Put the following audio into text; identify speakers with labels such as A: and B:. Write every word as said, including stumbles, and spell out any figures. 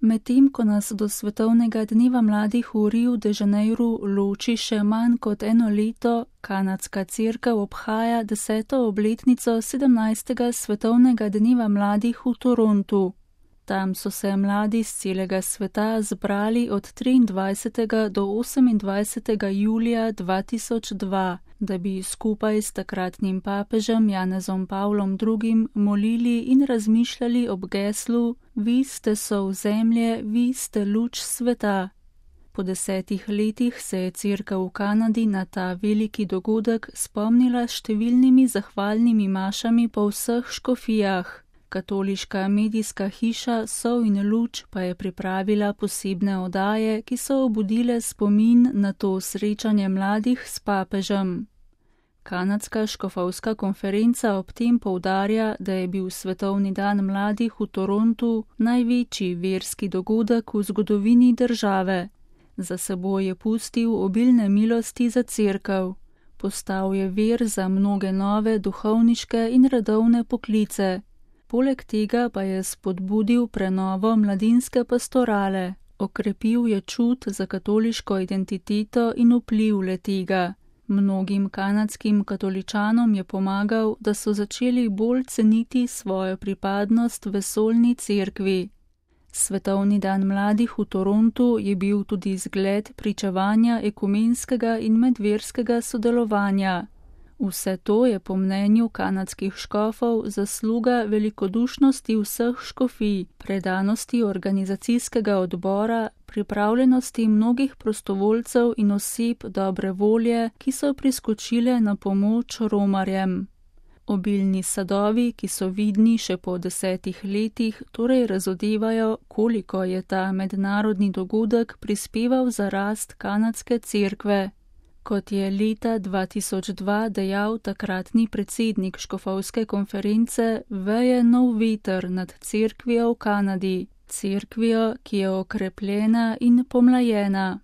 A: Medtem ko nas do svetovnega dneva mladih v Riu de Janeiru loči še manj kot eno leto, kanadska cerkev obhaja deseto obletnico sedemnajstega svetovnega dneva mladih v Torontu. Tam so se mladi z celega sveta zbrali od triindvajsetega do osemindvajsetega julija dva tisoč dva, da bi skupaj s takratnim papežem Janezom Pavlom drugim molili in razmišljali ob geslu: Vi ste sol zemlje, vi ste luč sveta. Po desetih letih se je cerkev v Kanadi na ta veliki dogodek spomnila s številnimi zahvalnimi mašami po vseh škofijah. Katoliška medijska hiša Sol in luč pa je pripravila posebne oddaje, ki so obudile spomin na to srečanje mladih s papežem. Kanadska škofovska konferenca ob tem poudarja, da je bil svetovni dan mladih v Torontu največji verski dogodek v zgodovini države. Za seboj je pustil obilne milosti za cerkev. Postal je vir za mnoge nove duhovniške in redovne poklice. Poleg tega pa je spodbudil prenovo mladinske pastorale, okrepil je čut za katoliško identiteto in vpliv le-tega. Mnogim kanadskim katoličanom je pomagal, da so začeli bolj ceniti svojo pripadnost vesoljni cerkvi. Svetovni dan mladih v Torontu je bil tudi zgled pričevanja ekumenskega in medverskega sodelovanja. Vse to je po mnenju kanadskih škofov zasluga velikodušnosti vseh škofij, predanosti organizacijskega odbora, pripravljenosti mnogih prostovoljcev in oseb dobre volje, ki so priskočile na pomoč romarjem. Obilni sadovi, ki so vidni še po desetih letih, torej razodevajo, koliko je ta mednarodni dogodek prispeval za rast kanadske cerkve. Kot je leta dva tisoč dva dejal takratni predsednik škofovske konference, veje nov veter nad cerkvijo v Kanadi, cerkvijo, ki je okrepljena in pomlajena.